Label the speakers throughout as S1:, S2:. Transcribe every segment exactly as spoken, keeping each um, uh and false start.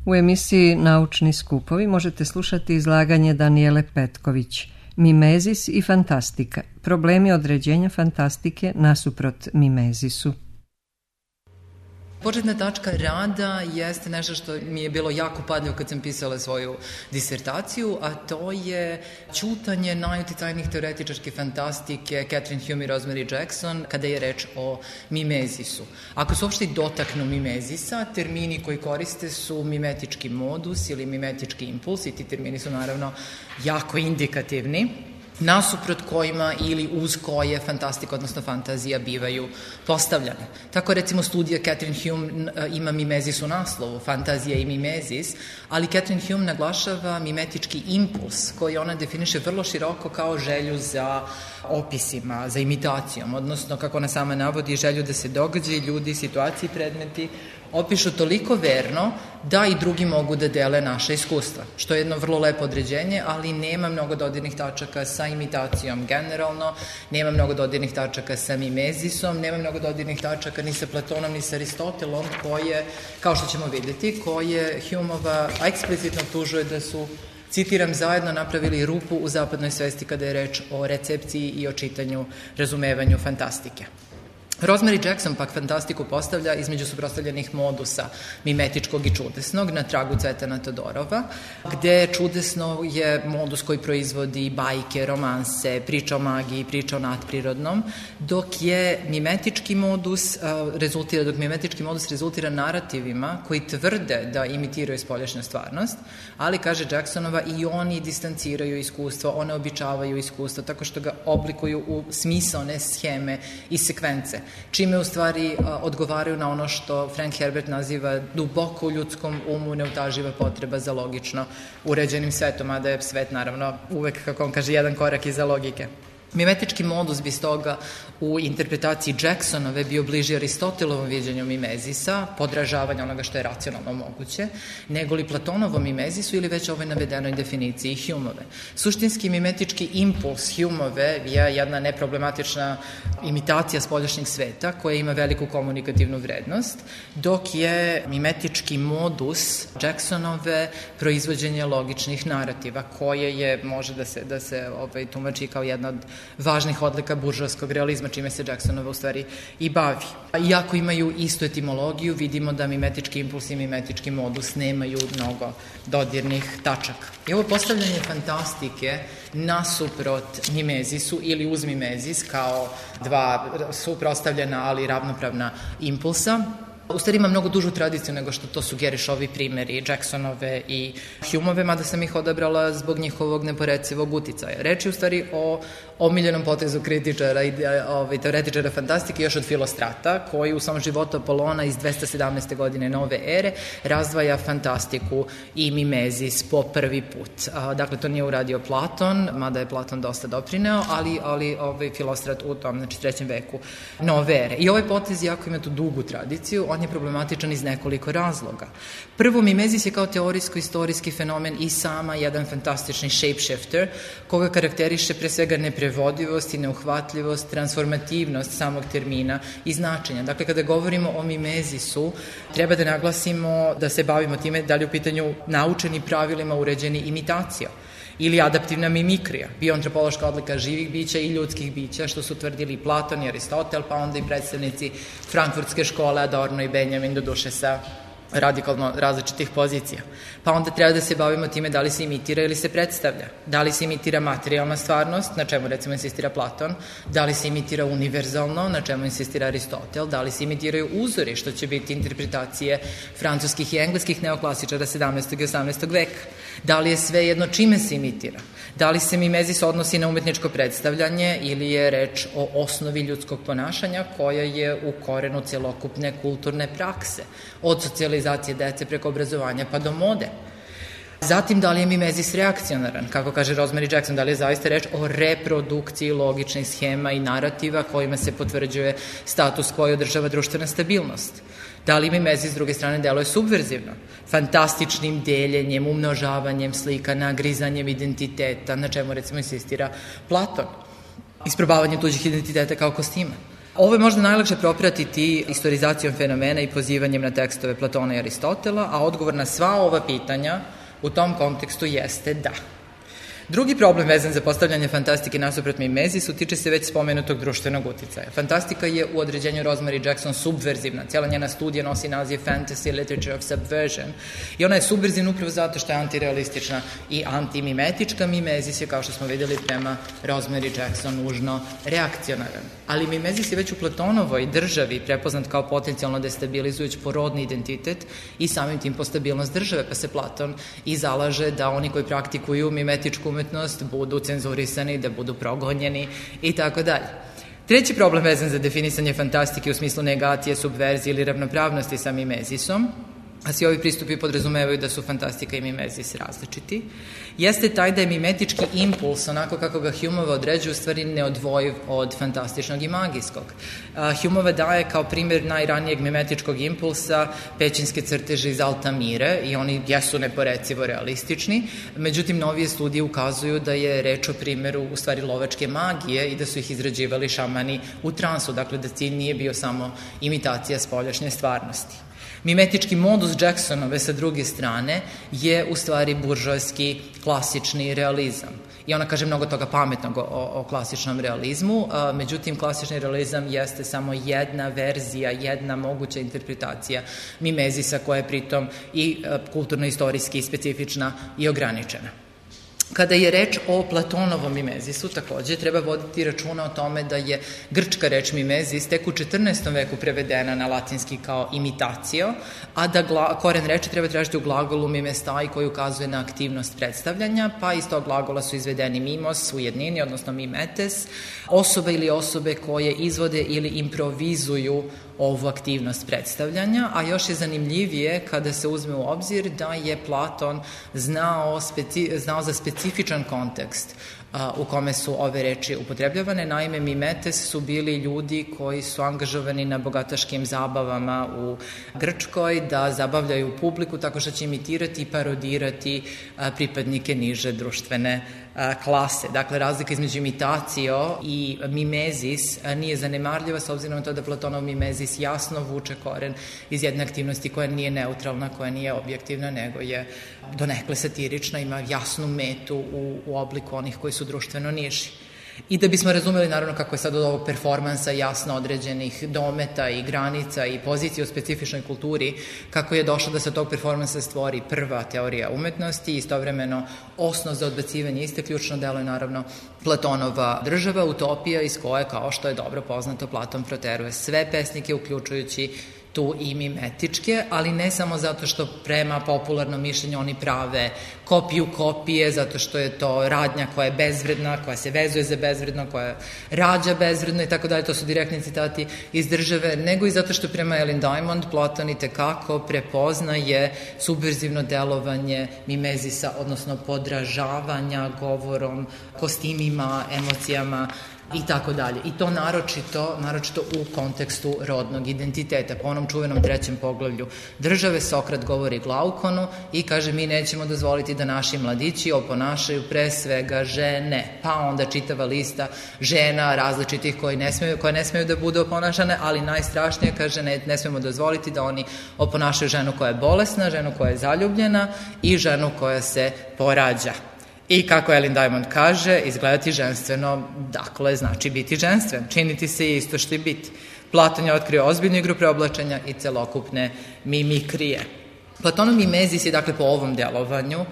S1: U emisiji Naučni skupovi možete slušati izlaganje Danijele Petković, Mimezis i fantastika, problemi određenja fantastike nasuprot mimezisu.
S2: Početna tačka rada jeste nešto što mi je bilo jako padljivo kad sam pisala svoju disertaciju, a to je ćutanje najuticajnijih teoretičarske fantastike Catherine Hume i Rosemary Jackson kada je reč o mimezisu. Ako se uopšte dotaknu mimezisa, termini koji koriste su mimetički modus ili mimetički impuls i ti termini su naravno jako indikativni, nasuprot kojima ili uz koje fantastika, odnosno fantazija, bivaju postavljane. Tako recimo studija Catherine Hume ima mimezis u naslovu, fantazija i mimezis, ali Catherine Hume naglašava mimetički impuls koji ona definiše vrlo široko kao želju za opisima, za imitacijom, odnosno, kako ona sama navodi, želju da se događaji, ljudi, situacije, predmeti opišu toliko verno da i drugi mogu da dele naše iskustva, što je jedno vrlo lepo određenje, ali nema mnogo dodirnih tačaka sa imitacijom generalno, nema mnogo dodirnih tačaka sa mimezisom, nema mnogo dodirnih tačaka ni sa Platonom, ni sa Aristotelom, koje, kao što ćemo vidjeti, koje Humeova eksplicitno optužuje da su, citiram, zajedno napravili rupu u zapadnoj svesti kada je reč o recepciji i o čitanju, razumevanju fantastike. Rosemary Jackson pak fantastiku postavlja između suprotstavljenih modusa mimetičkog i čudesnog na tragu Cvetana Todorova, gde čudesno je modus koji proizvodi bajke, romanse, priča o magiji, priča o nadprirodnom, dok je mimetički modus rezultira, dok mimetički modus rezultira narativima koji tvrde da imitiraju spoljašnju stvarnost, ali, kaže Jacksonova, i oni distanciraju iskustvo, one običavaju iskustvo tako što ga oblikuju u smisaone scheme i sekvence, čime u stvari odgovaraju na ono što Frank Herbert naziva duboko u ljudskom umu neutaživa potreba za logično uređenim svetom, a da je svet naravno uvek, kako on kaže, jedan korak iza logike. Mimetički modus bi stoga u interpretaciji Jacksonove bio bliži Aristotelovom viđenju mimezisa, podražavanja onoga što je racionalno moguće, nego li Platonovom mimezisu ili već ovoj navedenoj definiciji Humeove. Suštinski mimetički impuls Humeove je jedna neproblematična imitacija spoljašnjeg sveta koja ima veliku komunikativnu vrednost, dok je mimetički modus Jacksonove proizvođenje logičnih narativa, koje je, može da se, da se ovaj, tumači kao jedna od važnih odlika buržovskog realizma, čime se Jacksonova u stvari i bavi. Iako imaju istu etimologiju, vidimo da mimetički impuls i mimetički modus nemaju mnogo dodirnih tačaka. I ovo postavljanje fantastike nasuprot mimezisu ili uz mimezis kao dva suprotstavljena, ali ravnopravna impulsa, u stvari ima mnogo dužu tradiciju nego što to sugeriš ovi primeri Jacksonove i Humeove, mada sam ih odabrala zbog njihovog neporecivog uticaja. Reč je u stvari o omiljenom potezu kritičara i ovaj, teoretičara fantastike još od Filostrata, koji u svom životu Apolona iz dvesta sedamnaeste. godine nove ere razdvaja fantastiku i mimezis po prvi put. A, dakle, to nije uradio Platon, mada je Platon dosta doprineo, ali, ali ovaj, Filostrat u tom, znači, trećem veku nove ere. I ovaj potez, jako ima tu dugu tradiciju, on je problematičan iz nekoliko razloga. Prvo, mimezis je kao teorijsko-istorijski fenomen i sama jedan fantastični shapeshifter, koga karakteriše pre svega neprevodivost i neuhvatljivost, transformativnost samog termina i značenja. Dakle, kada govorimo o mimezisu, treba da naglasimo da se bavimo time da li u pitanju naučeni pravilima uređeni imitacija ili adaptivna mimikrija, bioantropološka odlika živih bića i ljudskih bića, što su tvrdili Platon i Aristotel, pa onda i predstavnici frankfurtske škole Adorno i Benjamin, do duše sa radikalno različitih pozicija. Pa onda treba da se bavimo time da li se imitira ili se predstavlja. Da li se imitira materijalna stvarnost, na čemu recimo insistira Platon, da li se imitira univerzalno, na čemu insistira Aristotel, da li se imitiraju uzori, što će biti interpretacije francuskih i engleskih neoklasičara sedamnaestog i osamnaestog veka. Da li je sve jedno čime se imitira? Da li se mimezis odnosi na umetničko predstavljanje ili je reč o osnovi ljudskog ponašanja koja je u korenu celokupne kulturne prakse, od socijalizacije dece preko obrazovanja pa do mode? Zatim, da li je mimezis reakcionaran? Kako kaže Rosemary Jackson, da li je zaista reč o reprodukciji logičnih schema i narativa kojima se potvrđuje status quo i održava društvena stabilnost? Da li mimezis s druge strane deluje subverzivno? Fantastičnim deljenjem, umnožavanjem slika, nagrizanjem identiteta, na čemu recimo insistira Platon. Isprobavanje tuđih identiteta kao kostima. Ovo je možda najlakše propratiti istorizacijom fenomena i pozivanjem na tekstove Platona i Aristotela, a odgovor na sva ova pitanja u tom kontekstu jeste da. Drugi problem vezan za postavljanje fantastike nasuprot mimezisu tiče se već spomenutog društvenog uticaja. Fantastika je u određenju Rosemary Jackson subverzivna. Cijela njena studija nosi naziv Fantasy Literature of Subversion i ona je subverzivna upravo zato što je antirealistična i antimimetička. Mimezis je, kao što smo videli, prema Rosemary Jackson nužno reakcionaran. Ali mimezis je već u Platonovoj državi prepoznat kao potencijalno destabilizujući po rodni identitet i samim tim po stabilnost države, pa se Platon i zalaže da oni koji praktikuju mimetičku umetnost budu cenzurisani, da budu progonjeni i tako dalje. Treći problem vezan za definisanje fantastike u smislu negacije, subverzije ili ravnopravnosti sa mimezisom, a svi ovi pristupi podrazumevaju da su fantastika i mimezis različiti, jeste taj da je mimetički impuls, onako kako ga Humeova određuje, u stvari neodvojiv od fantastičnog i magijskog. Humeova daje kao primjer najranijeg mimetičkog impulsa pećinske crteže iz Altamire i oni jesu neporecivo realistični, međutim novije studije ukazuju da je reč o primjeru u stvari lovačke magije i da su ih izrađivali šamani u transu, dakle da cilj nije bio samo imitacija spoljašnje stvarnosti. Mimetički modus Jacksonove sa druge strane je u stvari buržoajski klasični realizam. I ona kaže mnogo toga pametnog o, o klasičnom realizmu, a, međutim klasični realizam jeste samo jedna verzija, jedna moguća interpretacija mimezisa koja je pritom i kulturno-istorijski specifična i ograničena. Kada je reč o Platonovom mimezisu, takođe treba voditi računa o tome da je grčka reč mimezis tek u četrnaestom veku prevedena na latinski kao imitacio, a da gla, koren reči treba tražiti u glagolu mimestai koji ukazuje na aktivnost predstavljanja, pa iz tog glagola su izvedeni mimos u jednini, odnosno mimetes, osobe ili osobe koje izvode ili improvizuju ovu aktivnost predstavljanja, a još je zanimljivije kada se uzme u obzir da je Platon znao, speci, znao za specifičan kontekst a, u kome su ove reči upotrebljavane. Naime, mimetes su bili ljudi koji su angažovani na bogataškim zabavama u Grčkoj da zabavljaju publiku tako što će imitirati i parodirati a, pripadnike niže društvene klase. Dakle, razlika između imitacio i mimezis nije zanemarljiva s obzirom na to da Platonov mimezis jasno vuče koren iz jedne aktivnosti koja nije neutralna, koja nije objektivna, nego je donekle satirična, ima jasnu metu u, u obliku onih koji su društveno niži. I da bismo razumeli naravno kako je sad od ovog performansa jasno određenih dometa i granica i pozicije u specifičnoj kulturi, kako je došlo da se tog performansa stvori prva teorija umetnosti i istovremeno osnov za odbacivanje iste, ključno delo je naravno Platonova država, utopija iz koje, kao što je dobro poznato, Platon proteruje sve pesnike, uključujući tu i mimetičke, ali ne samo zato što prema popularnom mišljenju oni prave kopiju kopije, zato što je to radnja koja je bezvredna, koja se vezuje za bezvredno, koja rađa bezvredno i tako dalje, to su direktni citati iz države, nego i zato što prema Ellen Diamond Platon i tekako prepoznaje subverzivno delovanje mimezisa, odnosno podražavanja govorom, kostimima, emocijama i tako dalje. I to naročito, naročito u kontekstu rodnog identiteta. Po onom čuvenom trećem poglavlju države Sokrat govori Glaukonu i kaže mi nećemo dozvoliti da naši mladići oponašaju pre svega žene. Pa onda čitava lista žena različitih koje ne smeju, koje ne smeju da budu oponašane, ali najstrašnije kaže ne, ne smemo dozvoliti da oni oponašaju ženu koja je bolesna, ženu koja je zaljubljena i ženu koja se porađa. I kako Ellen Diamond kaže, izgledati ženstveno, dakle, znači biti ženstven. Činiti se je isto što i biti. Platon je otkrio ozbiljnu igru preoblačenja i celokupne mimikrije. Platonov mimezis je, dakle, po ovom delovanju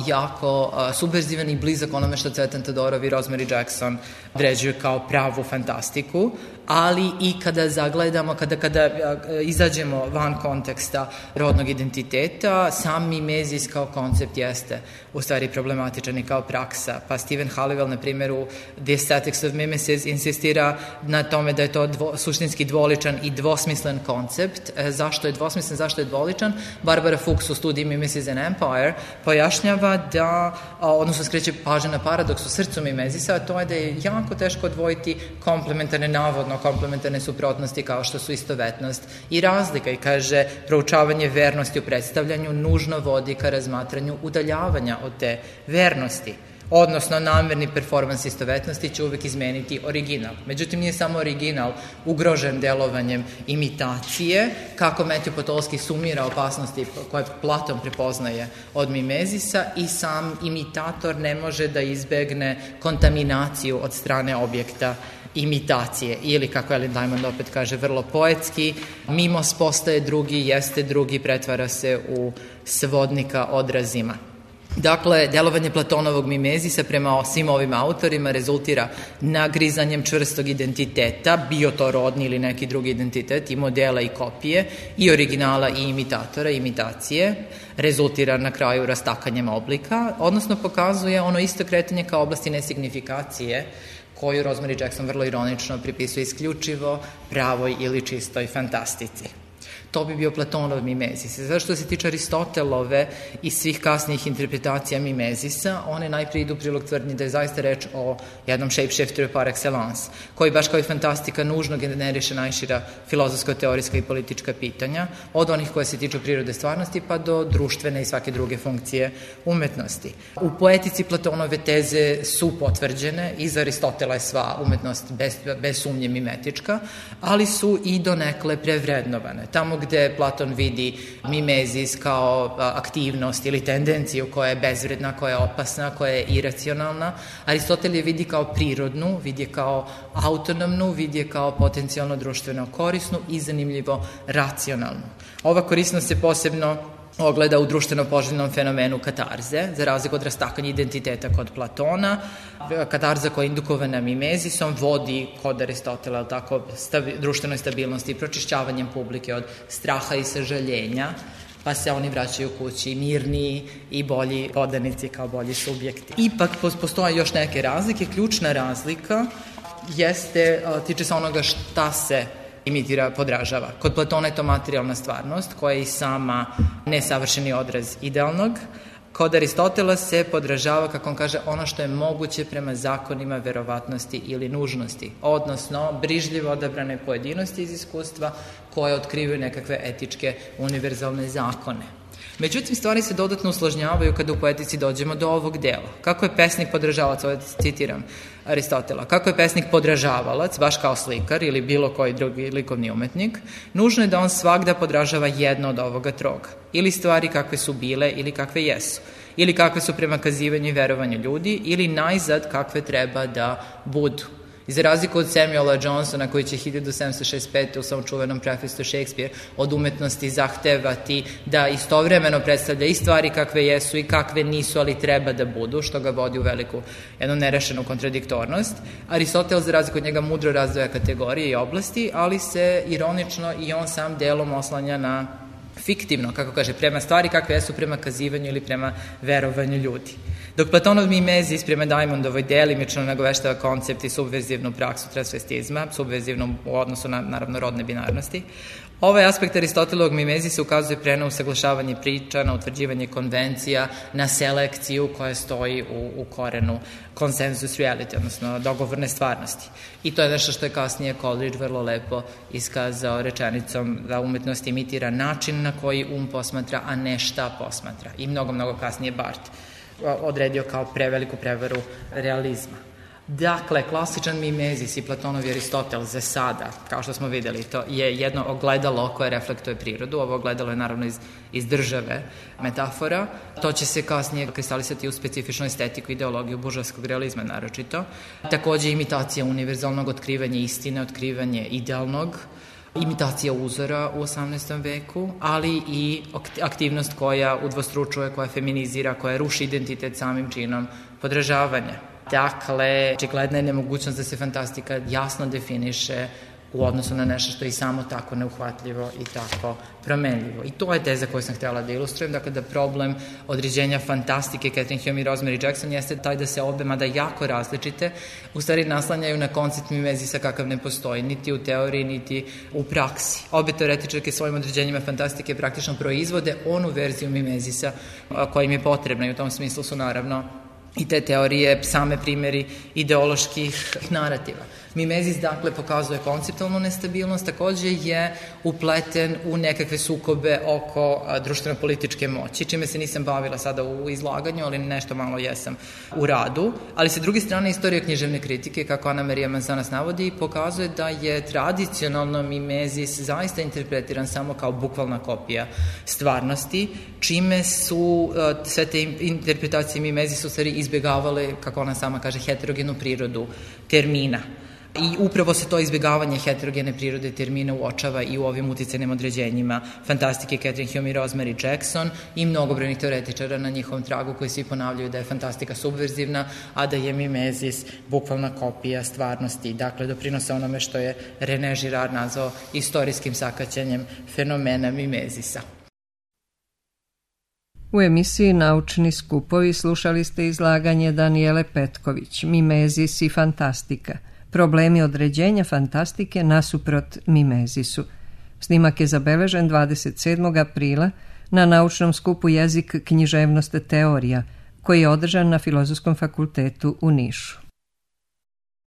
S2: jako uh, subverzivan i blizak onome što Cvetan Todorov i Rosemary Jackson određuju kao pravu fantastiku, ali i kada zagledamo, kada, kada uh, izađemo van konteksta rodnog identiteta, sam mimezis kao koncept jeste u stvari problematičan i kao praksa. Pa Stephen Halliwell, na primjer, u The Aesthetics of Mimesis insistira na tome da je to dvo, suštinski dvoličan i dvosmislen koncept. E, zašto je dvosmislen, zašto je dvoličan? Barbara Fuchs u studiji Mimesis and Empire pojašnjava da, odnosno skreće pažnju na paradoks u srcu mimezisa, a to je da je jako teško odvojiti komplementarne, navodno komplementarne suprotnosti kao što su istovetnost i razlika, i kaže proučavanje vernosti u predstavljanju nužno vodi ka razmatranju udaljavanja od te vernosti. odnosno namerni performans istovetnosti će uvek izmeniti original. Međutim, nije samo original ugrožen delovanjem imitacije, kako Matthew Potolsky sumira opasnosti koje Platon prepoznaje od mimezisa, i sam imitator ne može da izbegne kontaminaciju od strane objekta imitacije, ili kako Ellen Diamond opet kaže vrlo poetski, mimos postaje drugi, jeste drugi, pretvara se u svodnika odrazima. Dakle, delovanje Platonovog mimezisa prema svim ovim autorima rezultira nagrizanjem čvrstog identiteta, bio to rodni ili neki drugi identitet, i modela i kopije, i originala i imitatora, imitacije, rezultira na kraju rastakanjem oblika, odnosno pokazuje ono isto kretanje kao oblasti nesignifikacije, koju Rosemary Jackson vrlo ironično pripisuje isključivo pravoj ili čistoj fantastici. To bi bio Platonov mimezis. Zato što se tiče Aristotelove i svih kasnijih interpretacija mimezisa, one najprije idu u prilog tvrdnji da je zaista reč o jednom shapeshifteru par excellence, koji baš kao i fantastika nužno generiše najšira filozofsko-teorijska i politička pitanja, od onih koje se tiču prirode stvarnosti pa do društvene i svake druge funkcije umetnosti. U poetici Platonove teze su potvrđene, i za Aristotela je sva umetnost bez, bez sumnje mimetička, ali su i donekle prevrednovane. Tamo gde Platon vidi mimezis kao aktivnost ili tendenciju koja je bezvredna, koja je opasna, koja je iracionalna, Aristotel je vidi kao prirodnu, vidi je kao autonomnu, vidi je kao potencijalno društveno korisnu i zanimljivo racionalnu. Ova korisnost se posebno ogleda u društveno poželjnom fenomenu katarze, za razliku od rastakanja identiteta kod Platona. Katarza koja je indukovana mimezisom vodi kod Aristotela, ali tako, stabi, društvenoj stabilnosti i pročišćavanjem publike od straha i sažaljenja, pa se oni vraćaju kući mirniji i bolji podanici kao bolji subjekti. Ipak postoje još neke razlike. Ključna razlika jeste, tiče se onoga šta se imitira, podražava. Kod Platona je to materijalna stvarnost, koja je i sama nesavršeni odraz idealnog. Kod Aristotela se podražava, kako on kaže, ono što je moguće prema zakonima verovatnosti ili nužnosti, odnosno brižljivo odabrane pojedinosti iz iskustva koje otkrivaju nekakve etičke univerzalne zakone. Međutim, stvari se dodatno usložnjavaju kada u poetici dođemo do ovog dela. Kako je pesnik podražavac, ovo citiram Aristotela, kako je pesnik podražavalac, baš kao slikar ili bilo koji drugi likovni umetnik, nužno je da on svagda podražava jedno od ovoga troga. Ili stvari kakve su bile ili kakve jesu. Ili kakve su prema kazivanju i verovanju ljudi, ili najzad kakve treba da budu. I za razliku od Samuela Johnsona, koji će hiljadu sedamsto šezdeset pete u svom čuvenom prefistu Shakespeare od umetnosti zahtevati da istovremeno predstavlja i stvari kakve jesu i kakve nisu, ali treba da budu, što ga vodi u veliku jednu nerešenu kontradiktornost. Aristotel, za razliku od njega, mudro razdvaja kategorije i oblasti, ali se ironično i on sam delom oslanja na fiktivno, kako kaže, prema stvari kakve jesu prema kazivanju ili prema verovanju ljudi. Dok Platonov mimezis prema Diamondovoj delimično nagoveštava koncept i subverzivnu praksu transvestizma, subverzivnu u odnosu na, naravno, rodne binarnosti, ovaj aspekt Aristotelovog mimezisa ukazuje pre na usaglašavanje priča, na utvrđivanje konvencija, na selekciju koja stoji u, u korenu consensus reality, odnosno dogovorne stvarnosti. I to je nešto što je kasnije Coleridge vrlo lepo iskazao rečenicom da umetnost imitira način na koji um posmatra, a ne šta posmatra. I mnogo, mnogo kasnije Barthes odredio kao preveliku prevaru realizma. Dakle, klasičan mimezis i Platonov i Aristotel za sada, kao što smo videli, to je jedno ogledalo koje reflektuje prirodu. Ovo ogledalo je naravno iz, iz države metafora. To će se kasnije kristalisati u specifičnu estetiku i ideologiju buržovskog realizma naročito. Takođe imitacija univerzalnog, otkrivanje istine, otkrivanje idealnog, imitacija uzora u osamnaestom veku, ali i aktivnost koja udvostručuje, koja feminizira, koja ruši identitet samim činom podražavanja. Dakle, očigledna je nemogućnost da se fantastika jasno definiše u odnosu na nešto što je i samo tako neuhvatljivo i tako promenljivo. I to je teza koju sam htjela da ilustrujem, dakle da problem određenja fantastike Catherine Hume i Rosemary Jackson jeste taj da se obe, mada jako različite, u stvari naslanjaju na koncept mimezisa kakav ne postoji, niti u teoriji, niti u praksi. Obe teoretičarke svojim određenjima fantastike praktično proizvode onu verziju mimezisa koja im je potrebna i u tom smislu su naravno i te teorije same primjeri ideoloških narativa. Mimezis, dakle, pokazuje konceptualnu nestabilnost, takođe je upleten u nekakve sukobe oko društveno-političke moći, čime se nisam bavila sada u izlaganju, ali nešto malo jesam u radu. Ali sa druge strane, istorija književne kritike, kako Ana Marija Manzanas navodi, pokazuje da je tradicionalno mimezis zaista interpretiran samo kao bukvalna kopija stvarnosti, čime su sve te interpretacije mimezisa u stvari izbjegavale, kako ona sama kaže, heterogenu prirodu termina. I upravo se to izbjegavanje heterogene prirode termina uočava i u ovim uticajnim određenjima fantastike Catherine Hume i Rosemary Jackson i mnogobrojnih teoretičara na njihovom tragu koji svi ponavljaju da je fantastika subverzivna, a da je mimezis bukvalna kopija stvarnosti. Dakle, doprinose onome što je René Girard nazvao istorijskim sakaćenjem fenomena mimezisa.
S1: U emisiji Naučni skupovi slušali ste izlaganje Danijele Petković, Mimezis i fantastika. Problemi određenja fantastike nasuprot mimezisu. Snimak je zabeležen dvadeset sedmog aprila na naučnom skupu Jezik, književnost, teorija, koji je održan na Filozofskom fakultetu u Nišu.